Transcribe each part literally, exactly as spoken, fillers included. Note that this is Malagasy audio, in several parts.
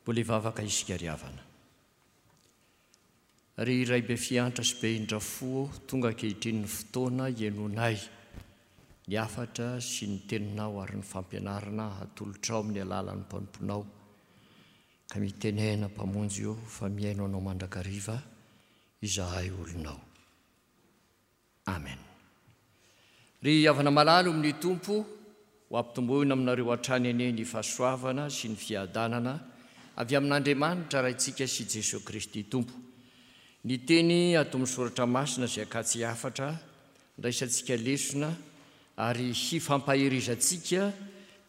Mbola hivavaka isika ry havana. Ry Ray be fiantra sy be indra fo ô, tonga ankehitriny ny fotoana hihainoanay ny hafatra sy ny teninao ary ny fampianarana hatolotrao amin'ny alalan'ny mpanomponao. Ka mitenena Mpamonjy ô fa mihaino anao mandrakariva izahay olonao. Amen. Ry havana malala amin'ny Tompo, ho ampitomboina aminareo hatrany anie ny fahasoavana sy ny fiadanana avy amin'Andriamanitra Raintsika sy Jesoa Kristy Tompo. Ny teny ato amin'ny Soratra Masina izay akatsy hafatra, andraisantsika lesona ary hifampaherizantsika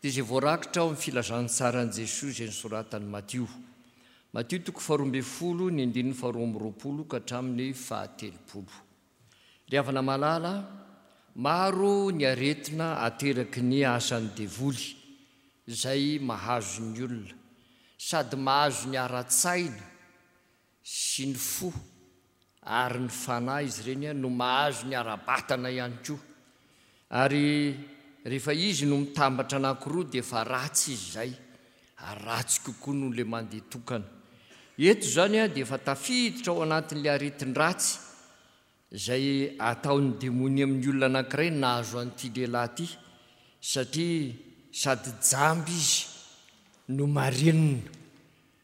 dia izay voarakitra ao amin'ny Filazantsaran'i Jesoa izay nosoratan'i Matio. Matio toko faharoa ambin'ny folo, ny andininy faharoa amby roapolo ka hatramin'ny fahatelopolo. Ry havana malala, maro ny aretina ateraky ny asan'ny devoly izay mahazo ny olona, sady mahazo ny ara-tsaina sy ny fo ary ny fanahy izy ireny no mahazo ny ara-batana ihany koa. Ary rehefa izy no mitambatra anankiroa dia efa ratsy izy izay, ary ratsy kokoa noho ilay mandeha tokana. Eto izany dia efa tafiditra ao anatin'ilay aretin-dratsy izay ataon'ny demonia amin'ny olona anankiray nahazo an'ity lehilahy ity, satria sady jamba izy no marenina,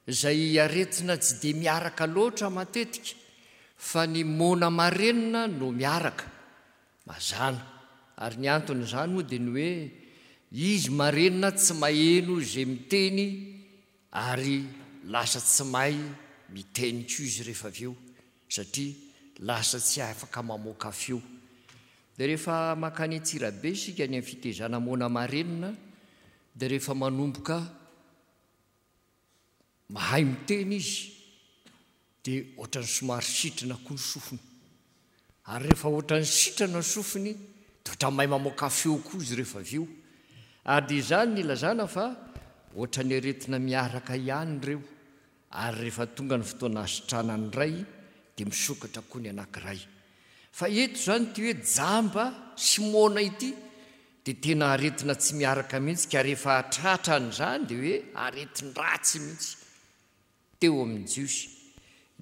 izay aretina tsy dia miaraka loatra matetika fa ny moana marenina no miaraka mazàna. Ary ny anton'izany moa dia ny hoe izy marenina tsy maheno izay miteny ary lasa tsy mahay miteny koa izy rehefa avy eo, satria lasa tsy afaka mamoaka feo. Dia rehefa mankany Antsirabe isika any amin'ny fitezana moana marenina, dia rehefa manomboka mahay miteny izy, dia ohatran'ny somary sitrana koa ny sofiny. Ary rehefa ohatran'ny sitrana ny sofiny, dia ohatran'ny mahay mamoaka feo koa izy rehefa avy eo. Ary dia izany no ilazana fa ohatran'ny aretina miaraka ihany ireo. Ary rehefa tonga ny fotoana hasitranany iray, dia misokatra koa ny anankiray. Fa eto izany ity hoe jamba sy moana ity dia tena aretina tsy miaraka mihitsy, ka rehefa tratran'izany dia hoe aretin-dratsy mihitsy teo amin'ny Jiosy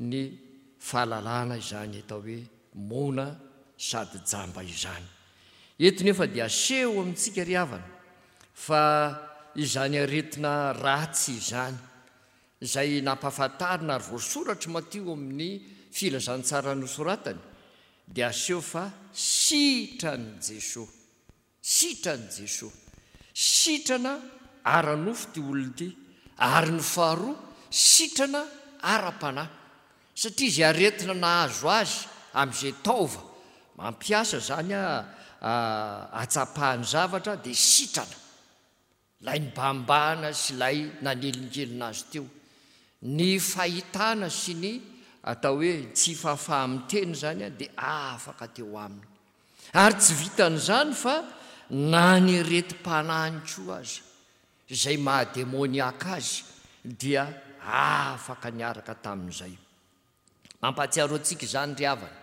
ny fahalalana izany atao hoe moana sady jamba izany. Eto nefa dia aseho amintsika ry havana fa izany aretina ratsy izany, izay nampahafantarina ary voasoratr'i Matio amin'ny filazantsara nosoratany, dia aseho fa sitran'i Jesoa. Sitran'i Jesoa. Sitrana ara-nofo ity olona ity, ary ny faharoa, sitrana ara-panahy. Satria izay aretina nahazo azy amin'izay taova mampiasa izany ahatsapahany zavatra dia sitrana. Ilay nibahambahana sy ilay nanelingelina azy teo. Ny fahitana sy ny atao hoe tsy fahafaha-miteny izany dia afaka teo aminy. Ary tsy vitan'izany fa na ny aretim-panahiny koa aza, izay maha-demoniaka azy, dia afaka niaraka tamin'izay. Mampahatsiaro antsika izany ry havana,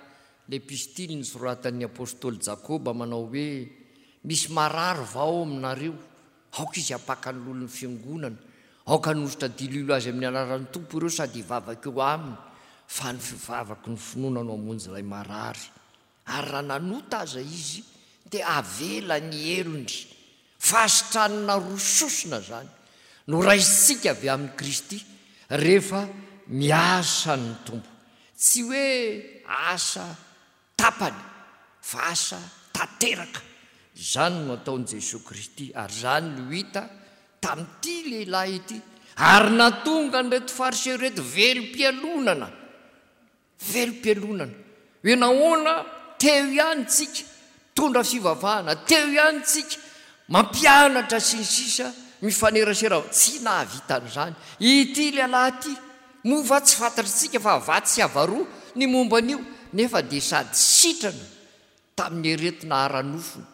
ilay epistily nosoratan'ny apostoly Jakoba manao hoe, Misy marary va ao aminareo? Aoka izy hampaka ny loholon'ny fiangonana. Aoka hanositra diloilo azy amin'ny anaran'ny Tompo ireo sady hivavaka eo aminy, fa ny fivavaky ny finoana no hamonjy ilay marary. Ary raha nanota aza izy, dia avela ny helony. Fahasitranana roa sosona izany no raisintsika avy amin'i Kristy rehefa miasa ny Tompo. Tsy hoe asa tapany fa asa tanteraka. Izany no ataon'i Jesoa Kristy ary izany no hita tamin'ity lehilahy ity ary nahatonga an'ireto Fariseo ireto velom-pialonana. Velom-pialonana. Hoe nahoana teo ihany tsika mitondra fivavahana, teo ihany tsika mampianatra sy ny sisa mifanerasera, tsy nahavita an'izany. Ity lehilahy ity, moa va tsy fantatritsika fa vatsy sy avaroa ny momba an'io, nefa dia sady sitrana tamin'ny aretina ara-nofony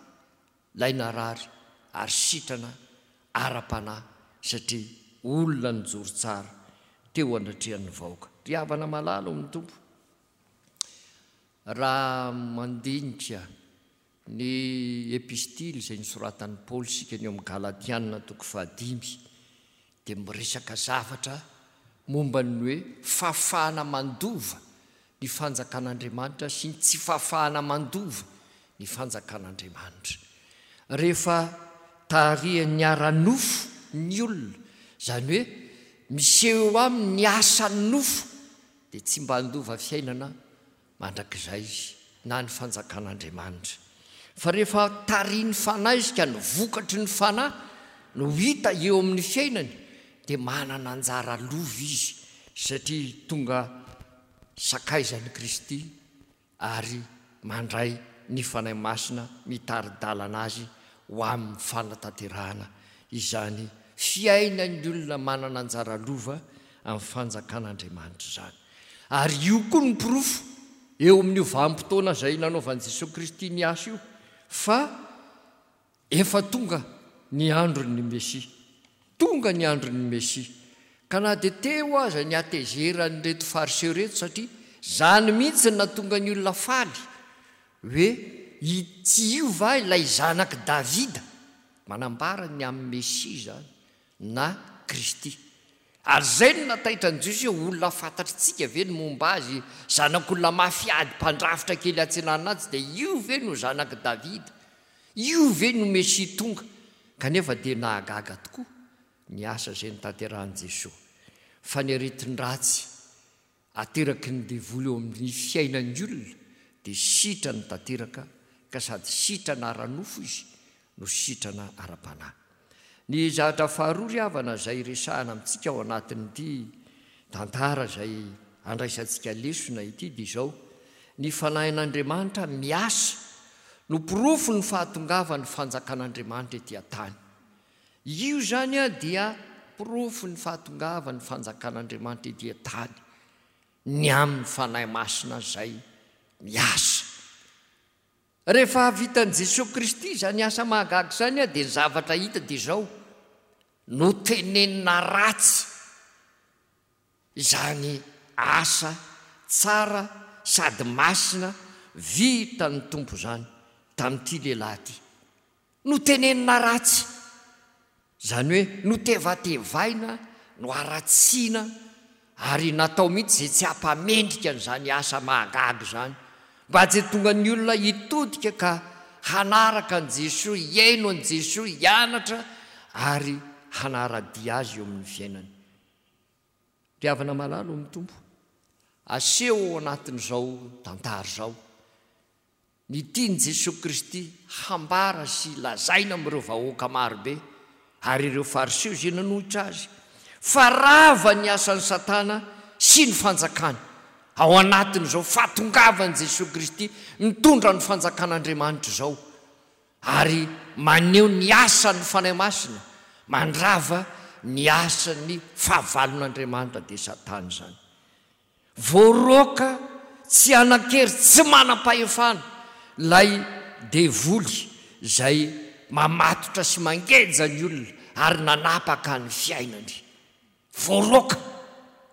ilay narary ary sitrana ara-panahy satria olona nijoro tsara teo anatrehan'ny vahoaka. Ry havana malala ao amin'ny Tompo, raha mandinika ny epistily izay nosoratan'i Paoly isika ny ao amin'ny Galatiana toko fahadimy dia miresaka zavatra momba ny hoe fahafahana mandova ny fanjakan'Andriamanitra sy ny tsy fahafahana mandova ny fanjakan'Andriamanitra. Rehefa tarihan'ny ara-nofo ny olona, izany hoe miseho eo aminy ny asan'ny nofo, dia tsy mba handova fiainana mandrakizay izy na ny fanjakan'Andriamanitra. Fa rehefa tarihin'ny fanahy izy ka ny vokatry ny fanahy no hita eo amin'ny fiainany, dia manana anjara lova izy satria tonga sakaizan'i Kristy ary mandray ny Fanahy Masina mitari-dalana azy ho amin'ny fanatanterahana izany fiainan'ny olona manana anjara lova amin'ny fanjakan'Andriamanitra izany. Ary io koa no porofo eo amin'io vanim-potoana izay nanaovan'i Jesoa Kristy ny asa io fa efa tonga ny andron'ny Mesia. Tonga ny andron'ny Mesia. Ka na dia teo aza ny hatezeran'ireto Fariseo ireto, satria izany mihitsy no nahatonga ny olona faly, hoe tsy io va ilay zanak'i Davida? Manambara ny amin'ny Mesia izany, na Kristy. Ary izay no nataitra ny Jiosy hoe olona fantatritsika ve ny momba azy, zanak'olona mafy ady, mpandrafitra kely atsinanana atsy, dia io ve no zanak'i Davida? Io ve no Mesia tonga? Kanefa dia nahagaga tokoa ny asa izay notanterahin'i Jesoa, fa ny aretin-dratsy ateraky ny devoly eo amin'ny fiainan'ny olona dia sitrany tanteraka, ka sady sitrana ara-nofo izy no sitrana ara-panahy. Ny zavatra faharoa ry havana izay resahana amintsika ao anatin'ity tantara izay andraisantsika lesona ity dia izao, ny Fanahin'Andriamanitra miasa no porofon'ny fahatongavan'ny fanjakan'Andriamanitra ety an-tany. Io izany dia porofon'ny fahatongavan'ny fanjakan'Andriamanitra ety an-tany, ny amin'ny Fanahy Masina izay miasa. Rehefa vitan'i Jesoa Kristy izany asa mahagaga izany dia ny zavatra hita dia izao, notenenina ratsy izany asa tsara sady masina vitan'ny Tompo izany tamin'ity lehilahy ity. Notenenina ratsy, izany hoe notevatevaina, noharatsiana ary natao mihitsy izay tsy hampamendrika an'izany asa mahagaga izany, mba tsy hahatonga ny olona hitodika ka hanaraka an'i Jesoa, hihaino an'i Jesoa, hianatra ary hanara-dia Azy eo amin'ny fiainany. Ry havana malala ao amin'ny Tompo, aseho ao anatin'izao tantara izao ny tian'i Jesoa Kristy hambara sy lazaina amin'ireo vahoaka marobe ary ireo Fariseo izay nanohitra Azy, fa rava ny asan'i Satana sy ny fanjakany ao anatin'izao fahatongavan'i Jesoa Kristy mitondra ny fanjakan'Andriamanitra izao, ary maneho ny asan'ny Fanahy Masina mandrava ny asan'ny fahavalon'Andriamanitra, dia Satana izany. Voaroaka tsy hanan-kery, tsy manam-pahefana ilay devoly izay mamatotra sy mangeja ny olona ary nanapaka ny fiainany. Voaroaka,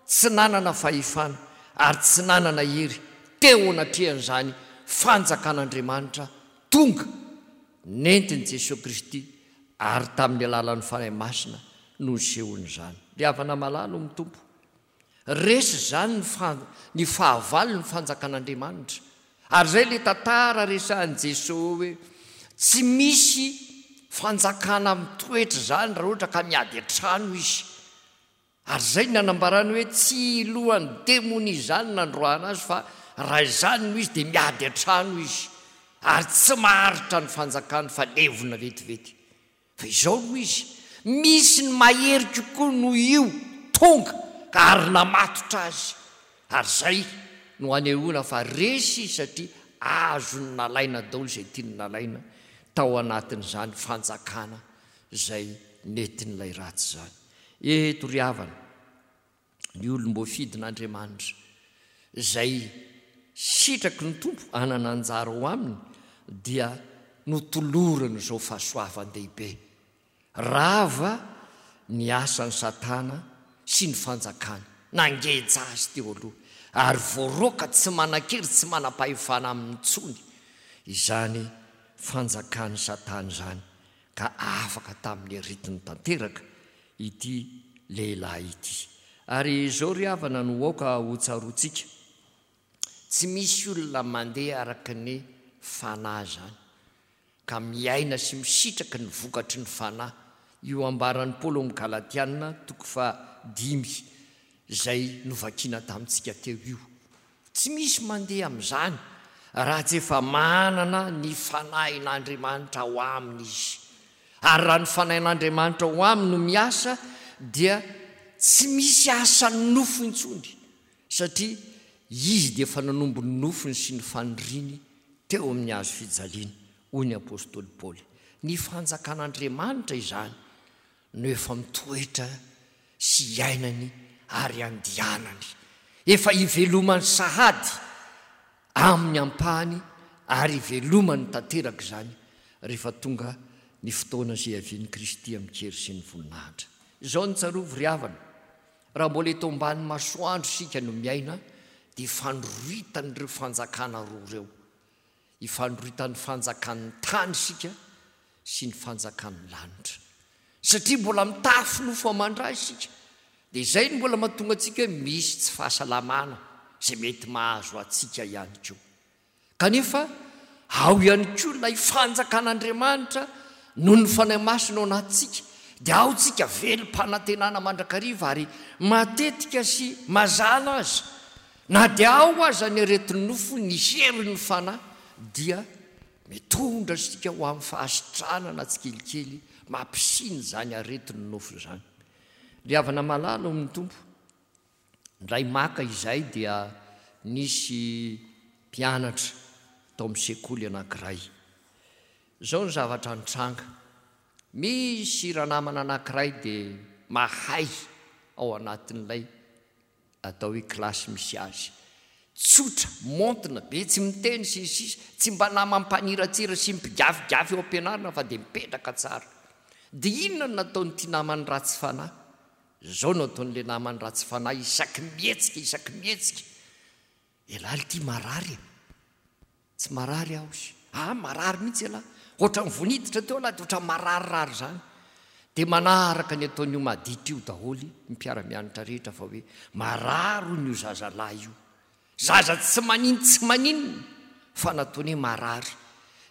tsy nanana fahefana ary tsy nanana hery teo anatrehan'izany fanjakan'Andriamanitra tonga nentin'i Jesoa Kristy ary tamin'ny alalan'ny Fanahy Masina no nisehoan'izany. Ry havana malala ao amin'ny Tompo, resy izany ny fa-, ny fahavalo ny fanjakan'Andriamanitra. Ary izay ilay tantara resahin'i Jesoa hoe tsy misy fanjakana mitoetra izany raha ohatra ka miady an-trano izy. Ary izay ny nanambarany hoe tsy lohan'ny demonia izany nandroahana azy, fa raha izany no izy dia miady an-trano izy ary tsy maharitra ny fanjakany fa levona vetivety. Fa izao no izy, misy ny mahery kokoa noho io tonga ka ary namatotra azy. Ary izay no anehoana fa resy izy satria azony nalaina daholo izay tiany nalaina tao anatin'izany fanjakana izay nentin'ilay ratsy izany. Eto ry havana, ny olom-boafidin'Andriamanitra izay sitraky ny Tompo hanana anjara ao aminy dia notolorany izao fahasoavan-dehibe. Rava ny asan'i Satana sy ny fanjakany, nangeja azy teo aloha, ary voaroaka tsy manan-kery tsy manam-pahefana aminy intsony izany fanjakan'i Satana izany, ka afaka tamin'ny aretiny tanteraka ity lehilahy ity. Ary izao ry havana no aoka hotsaroantsika, tsy misy olona mandeha araka ny Fanahy izany, ka miaina sy misitraka ny vokatry ny Fanahy, io ambaran'i Paoly ao amin'ny Galatiana toko fahadimy izay novakiana tamintsika teo io. Tsy misy mandeha amin'izany raha tsy efa manana ny Fanahin'Andriamanitra ao aminy izy. Ary raha ny Fanahin'Andriamanitra ao aminy no miasa dia tsy misy asan'ny nofo intsony, satria izy dia efa nanombo ny nofony sy ny faniriany teo amin'ny hazo fijaliana, hoy ny apostoly Paoly. Ny fanjakan'Andriamanitra izany no efa mitoetra sy iainany ary andianany. Efa ivelomany sahady amin'ny ampahany ary ivelomany tanteraka izany rehefa tonga ny fotoana izay hiavian'i Kristy amin-kery sy ny voninahitra. Izao no tsarovy ry havana, raha mbola eto ambany masoandro isika no miaina dia ifandroritan'ireo fanjakana roa ireo. Ifandroritan'ny fanjakan'ny tany isika sy ny fanjakan'ny lanitra. Satria mbola mitafy nofo aman-dra isika, dia izay no mbola mahatonga antsika hoe misy tsy fahasalamana izay mety mahazo antsika ihany koa. Kanefa ao ihany koa ilay fanjakan'Andriamanitra noho ny Fanahy Masina ao anatintsika, dia ao tsika velom-panantenana mandrakariva ary matetika sy mazàna aza, na dia ao aza ny aretin'ny nofo, ny herin'ny Fanahy dia mitondra antsika ho amin'ny fahasitranana tsikelikely mampisiny izany aretin'ny nofo izany. Ry havana malala ao amin'ny Tompo, indray maka izay dia nisy mpianatra tao amin'ny sekoly anankiray. Izao ny zavatra nitranga. Misy ranamana anankiray dia mahay ao anatin'ilay atao hoe kilasy misy azy. Tsotra, maontina be, tsy miteny sy ny sisa, tsy mba namam-paniratsira sy mpigafigafy eo am-pianarana fa dia mipetraka tsara. Dia inona no nataon'ity namany ratsy fanahy? Izao no ataon'ilay namany ratsy fanahy isaky mihetsika, isaky mihetsika. Ialahy ity marary e! Tsy marary aho izy. Ah, marary mihitsy ialahy. Ohatran'ny vao niditra teo ialahy dia ohatran'ny mararirary izany. Dia manaraka ny ataon'io maditra io daholo ny mpiara-mianatra rehetra fa hoe marary hono io zazalahy io. Zaza tsy manin-tsy maninona fa nataony hoe marary.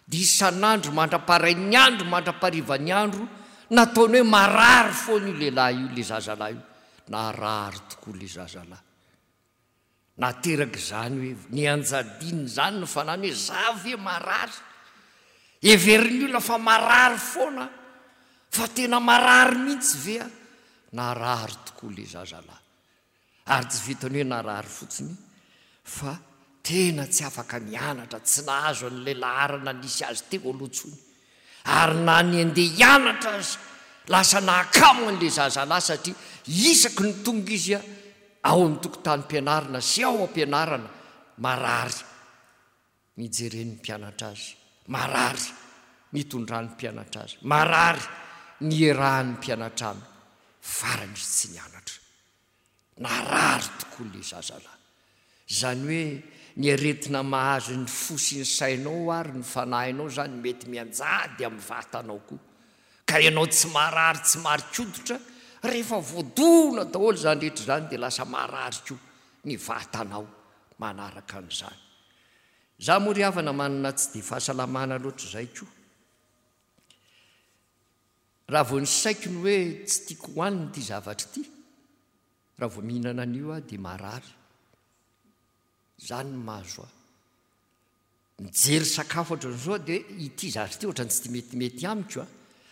Dia isan'andro mandra-parain'ny andro mandra-parivan'ny andro nataony hoe marary foana io lehilahy io, ilay zazalahy io. Narary tokoa ilay zazalahy. Nateraka izany hoe nianjadiany izany ny fanahiny hoe za ve marary? Heverin'ny olona fa marary foana aho, fa tena marary mihitsy ve aho? Narary tokoa ilay zazalahy. Ary tsy vitan'ny hoe narary fotsiny fa tena tsy afaka nianatra, tsy nahazo an'ilay laharana nisy azy teo aloha intsony. Ary na ny handeha hianatra aza, lasa nahakamo an'ilay zazalahy satria isaky ny tonga izy ao amin'ny tokotanim-pianarana sy ao am-pianarana, marary ny ijeren'ny mpianatra azy, marary ny itondran'ny mpianatra azy, marary ny iarahan'ny mpianatra aminy, farany izy tsy nianatra. Narary tokoa ilay zazalahy. Izany hoe ny aretina mahazo ny fo sy ny sainao ary ny fanahinao izany mety mianjady amin'ny vatanao koa. Ka ianao tsy marary tsy mari-koditra, rehefa voadona daholo izany rehetra izany dia lasa marary koa ny vatanao manaraka an'izany. Izaho moa ry havana manana tsy dia fahasalamana loatra izay koa. Raha vao ny saiko ny hoe tsy tiako hohanina ity zavatra ity, raha vao mihinana an'io aho dia marary. Izany no mahazo ahy. Mijery sakafo ohatran'izao aho dia ity zavatra ity ohatran'ny tsy dia metimety amiko a.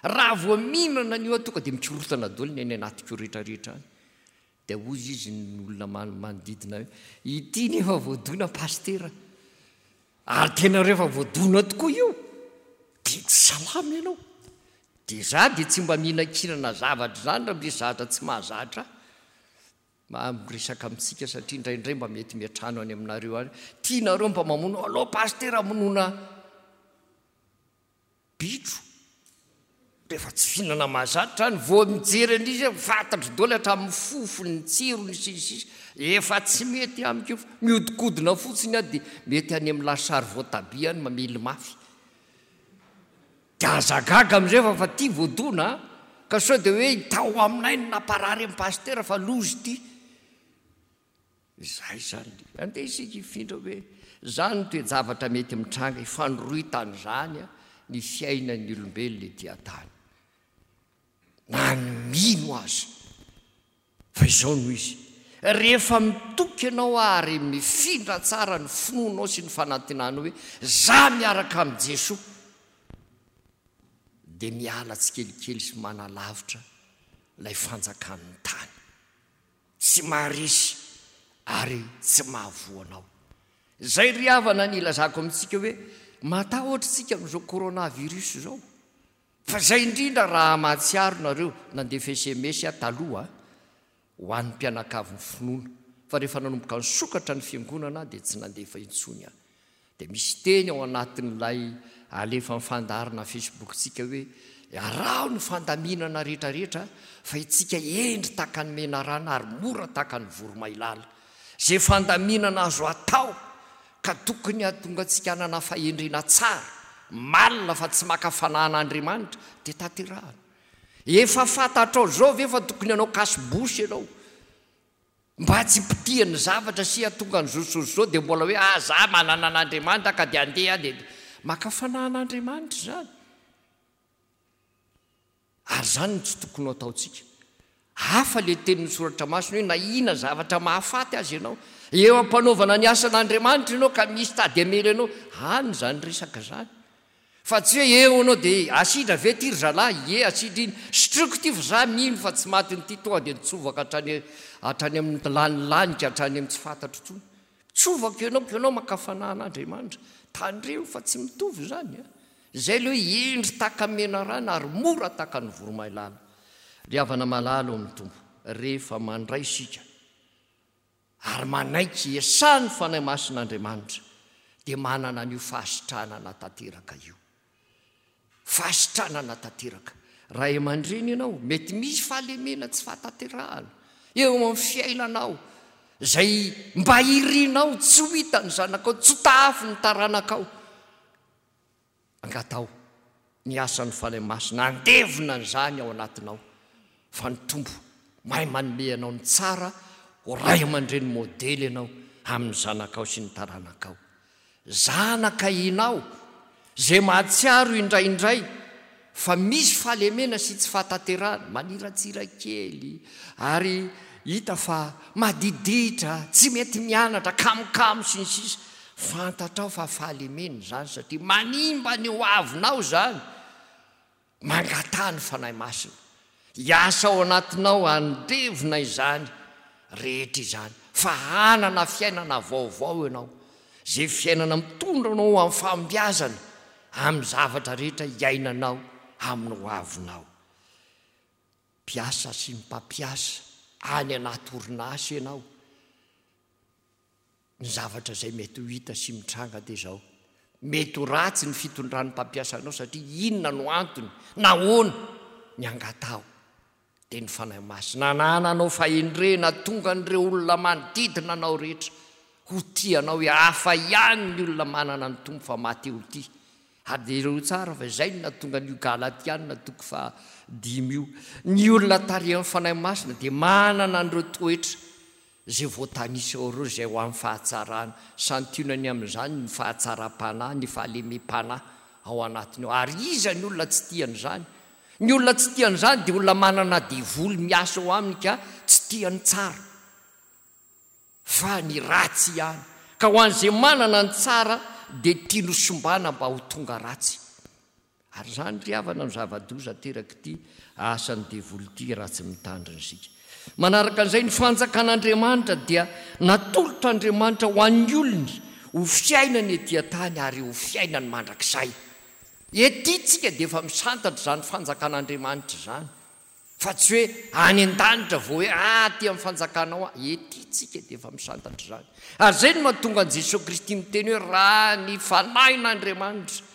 Raha vao mihinana an'io aho tonga dia mikorontana daholo ny any anatiko rehetrarehetra any. Dia hoy izy ny olona manodidina hoe ity nefa voadona pasitera. Ary tena rehefa voadona tokoa io dia tsy salama ianao. Dia za dia tsy mba mihinankinana zavatra izany raha misy zavatra tsy mahazatra ahy. Mba miresaka amintsika satria indraindray mba mety miantrano any aminareo any. Tianareo mba mamono, aleo pasitera hamonoana bitro. Rehefa tsy fihinana mahazatra izany, vao mijery an'izy aho, fantatro daholo hatramin'ny fofony, ny tsirony sy ny sisa. Efa tsy mety amiko io fa mihodinkodina fotsiny aho dia mety any amin'ny lasary voatabia any mamely mafy. Dia aza gaga amin'izay fa fa ity voadona a! Ka sao dia hoe tao aminay no namparary an'i Pasitera fa loza ity. Izay izany. Andeha isika hifindra hoe izany ny toe-javatra mety mitranga ifandrohitan'izany ny fiainan'ny olombelona ety an-tany. Na ny mino aza. Fa izao no izy. Rehefa mitoky ianao ary mifindra tsara ny finoanao sy ny fanantenanao hoe za miaraka amin'i Jesoa, dia miala tsikelikely sy manalavitra ilay fanjakan'ny tany. Tsy maharesy ary tsy mahavoa anao. Izay ry havana ny ilazako amintsika hoe matahotra isika amin'izao coronavirus izao. Fa izay indrindra raha mahatsiaro nareo nandefa S M S aho taloha ho an'ny mpianakavin'ny finoana. Fa rehefa nanomboka nisokatra ny fiangonana dia tsy nandefa intsony aho. Dia misy teny ao anatin'ilay alefa amin'ny fandaharana Facebook-tsika hoe araho ny fandaminana rehetrarehetra fa itsika hendry tahaka ny menarana ary mora tahaka ny voromailala. Izay fandaminana azo atao ka tokony hahatonga antsika hanana fahendrena tsara, malina fa tsy maka fanahin'Andriamanitra, dia tanterahana. Efa fantatrao izao ve fa tokony hanao cache-bouche ianao? Mba tsy hipitihan'ny zavatra sy hahatonga ny zosozo izao dia mbola hoe ah, za manana an'Andriamanitra ka dia andeha dia maka fanahin'Andriamanitra izany. Ary izany no tsy tokony ho ataontsika. Hafa ilay tenin'ny soratra masina hoe na inona zavatra mahafaty azy ianao. Eo am-panaovana ny asan'Andriamanitra ianao ka misy tady hamely anao. Any izany resaka izany. Fa tsy hoe eo ianao dia asidra ve ity ry zalahy? Ie, asidra iny. Sotroiko ity fa za mino fa tsy maty ity, tonga dia nitsovaka hatrany, hatrany amin'ny lanilanika, hatrany amin'ny tsy fantatro intsony. Tsovaka ianao ka ianao maka fanahin'Andriamanitra. Tandremo fa tsy mitovy izany. Izay ilay hoe hendry tahaka ny menarana ary mora tahaka ny voromailala. Ry havana malala ao amin'ny Tompo, rehefa mandray isika ary manaiky hiasan'ny Fanahy Masin'Andriamanitra, dia manana an'io fahasitranana tanteraka io. Fahasitranana tanteraka. Ray aman-dreny ianao, mety misy fahalemena tsy fahatanterahana eo amin'ny fiainanao, izay mba irinao tsy ho hitan'ny zanakao, tsy ho tahafin'ny taranakao. Angatao ny asan'ny Fanahy Masina handevona an'izany ao anatinao, fa ny Tompo mahay manome anao ny tsara ho ray aman-dreny modely ianao amin'ny zanakao sy ny taranakao. Zanaka ianao izay mahatsiaro indraindray fa misy fahalemena sy tsy fahatanterahana, maniratsira kely ary hita fa madiditra, tsy mety mianatra, kamokamo sy ny sisa. Fantatrao fa fahalemena izany satria manimba ny ho avinao izany. Mangataha ny Fanahy Masina hiasa ao anatinao handevona izany rehetra izany, fa hanana fiainana vaovao ianao, izay fiainana mitondra anao amin'ny fahombiazana amin'ny zavatra rehetra iainanao amin'ny ho avinao. Mpiasa sy mpampiasa any anaty orinasa ianao, ny zavatra izay mety ho hita sy mitranga dia izao. Mety ho ratsy ny fitondran'ny mpampiasa anao satria inona no antony, nahoana ny angataho dia ny Fanahy Masina anananao fahendrena tonga an'ireo olona manodidina anao rehetra ho tia anao hoe hafa ihany ny olona manana ny Tompo fa maty ho tia. Ary dia ireo tsara fa izay no nahatonga an'io Galatiana toko fahadimy io. Ny olona tarihan'ny Fanahy Masina dia manana an'ireo toetra izay voatanisa ao ireo, izay ho amin'ny fahatsarana. Santionany amin'izany ny fahatsaram-panahy, ny fahalemem-panahy ao anatiny ao. Ary iza ny olona tsy tia an'izany? Ny olona tsy tia an'izany dia olona manana devoly miasa ao aminy ka tsy tia ny tsara, fa ny ratsy ihany. Ka ho an'izay manana ny tsara dia tiany ho sombana mba ho tonga ratsy. Ary izany ry havana no zava-doza aterak'ity asan'ny devoly ity raha tsy mitandrina isika. Manaraka an'izay, ny fanjakan'Andriamanitra dia natolotr'Andriamanitra ho an'ny olony ho fiainany ety an-tany ary ho fiainany mandrakizay. Ety tsika dia efa misantatra izany fanjakan'Andriamanitra izany, fa tsy hoe any an-danitra vao hoe ah, aty amin'ny fanjakanao aho. Ety tsika dia efa misantatra izany. Ary izay no mahatonga an'i Jesoa Kristy miteny hoe raha ny fanahin'Andriamanitra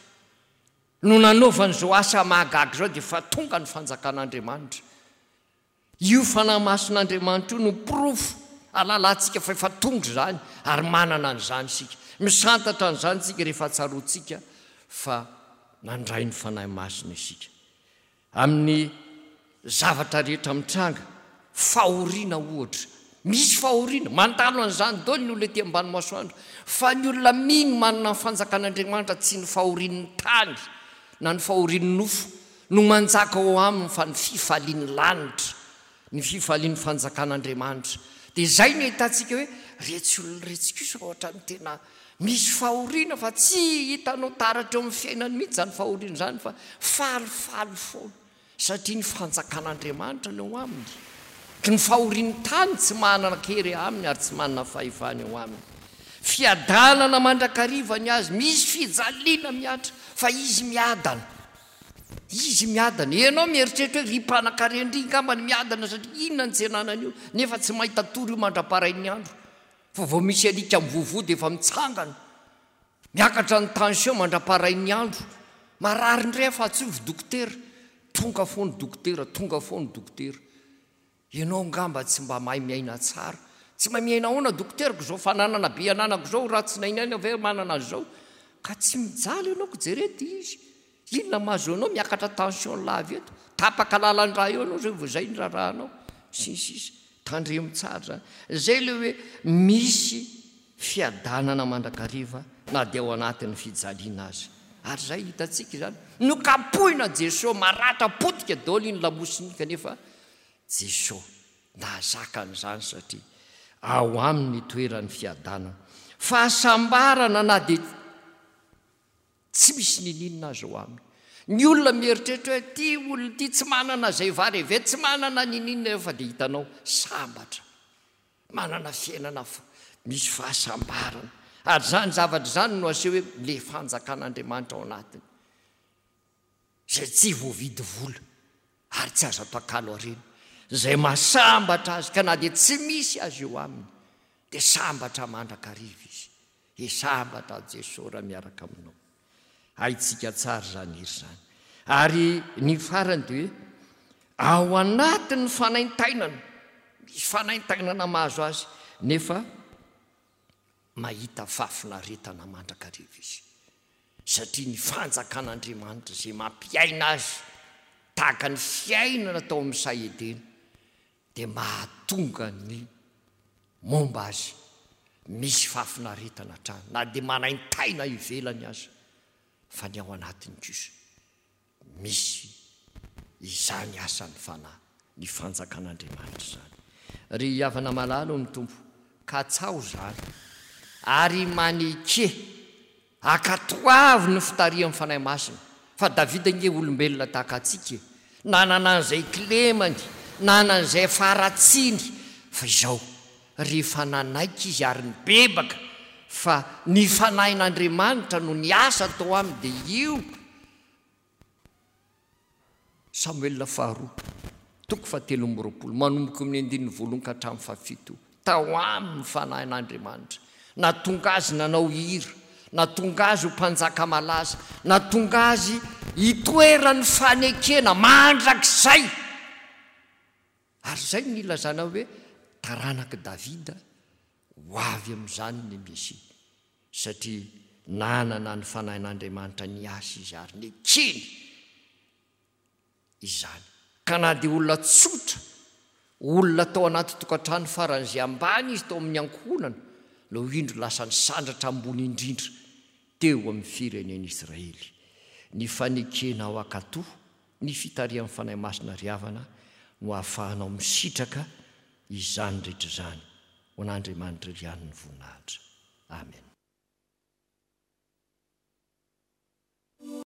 no nanaovan'izao asa mahagaga izao dia efa tonga ny fanjakan'Andriamanitra. Io Fanahy Masin'Andriamanitra io no porofo ahalalantsika fa efa tonga izany ary manana an'izany isika. Misantatra an'izany isika rehefa tsaroantsika fa nandray ny Fanahy Masina isika. Amin'ny zavatra rehetra mitranga, fahoriana ohatra, Misy fahoriana, mandalo an'izany daholo ny olona ety ambany masoandro. Fa ny olona mino manana ny fanjakan'Andriamanitra, tsy ny fahorian'ny tany na ny fahorian'ny nofo no manjaka ao aminy, fa ny fifalian'ny lanitra, ny fifalian'ny fanjakan'Andriamanitra. Dia izay no ahitantsika hoe retsy olona retsy kosa ohatran'ny tena misy fahoriana, fa tsy hitanao taratra eo amin'ny fiainany mihitsy izany fahoriana izany, fa falifaly foana, satria ny fanjakan'Andriamanitra no eo aminy. Ny fahorian'ny tany tsy manana kery aminy ary tsy manana fahefana eo aminy. Fiadanana mandrakariva ny azy, misy fijaliana mihatra, fa izy miadana. Izy miadana. Ianao mieritreritra hoe ry mpanakarendry angamba ny miadana, satria inona ny tsenanana io, nefa tsy mahita tory io mandra-parain'ny andro. Fa vao misy alika mivovoa dia efa mitsangana. Miakatra ny tension mandra-parain'ny andro. Marary indray afa tsy ovy dokotera. Tonga foana dokotera, tonga foana dokotera. Ianao angamba tsy mba mahay miaina tsara. Tsy mahay miaina ahoana dokoterako izao, fananana be ananako izao, raha tsy nainaina ve manana an'izao. Ka tsy mijaly ianao ko jerety izy. Inona mahazo anao miakatra tension lava eto. Tapaka lalan-drà eo ianao izay vao izay ny raharahanao. Sy ny sisa. Tandremo tsara izany. Izay ilay hoe misy fiadanana mandrakariva na dia ao anatin'ny fijaliana aza. Ary izay hitantsika izany. Nokapohina Jesoa, maratra potika daholo iny lamosiny iny, kanefa Jesoa nahazaka an'izany satria ao aminy ny toeran'ny fiadanana. Fahasambarana na dia tsy misy nininona aza ao aminy. Ny olona mieritreritra hoe ity olona ity tsy manana izay vary eve, tsy manana nininona eo, fa dia hitanao sambatra, manana fiainana misy fahasambarana. Ary izany zavatra izany no aseho hoe ilay fanjakan'Andriamanitra ao anatiny, izay tsy voavidy vola ary tsy azo atakalo harena, izay mahasambatra azy, ka na dia tsy misy azy eo aminy dia sambatra mandrakariva izy. E sambatra Jesoa raha miaraka aminao. Haintsika tsara izany hery izany. Ary ny farany dia hoe ao anatin'ny fanaintainana, misy fanaintainana mahazo azy, nefa mahita fahafinaretana mandrakariva izy, satria ny fanjakan'Andriamanitra izay mampiaina azy tahaka ny fiainana tao amin'ny saha Edena dia mahatonga ny momba azy misy fahafinaretana hatrany, na dia manaintaina ivelany aza, fa ny ao anatiny kosa misy izany asan'ny fanahy, ny fanjakan'Andriamanitra izany. Ry havana malala ao amin'ny Tompo, katsaho izany ary maneke, ankatoavy ny fitarihan'ny Fanahy Masina, fa Davida ange olombelona tahaka antsika e, nanana an'izay kilemany, nanana an'izay faharatsiany, fa izao, rehefa nanaiky izy ary nibebaka fa ny Fanahin'Andriamanitra no niasa tao aminy, dia io Samoela faharoa, toko fahatelo amby roapolo, manomboka amin'ny andininy voalohany ka hatramin'ny fahafito, tao aminy ny Fanahin'Andriamanitra, nahatonga azy nanao hira, nahatonga azy ho mpanjaka malaza, nahatonga azy hitoeran'ny fanekena mandrakizay. Ary izay no nilazana hoe taranak'i Davida ho avy amin'izany ny Mesia, satria nanana ny Fanahin'Andriamanitra niasa izy ary nekeny izany. Ka na dia olona tsotra, olona tao anaty tokantrano faran'izay ambany izy tao amin'ny ankohonana, no indro lasa nisandratra ambony indrindra teo amin'ny firenen'Israely. Ny fanekena ao Akato, ny fitarihan'ny Fanahy Masina ry havana no ahafahanao misitraka izany rehetra izany. Ho an'Andriamanitra ihany ny voninahitra. Amen.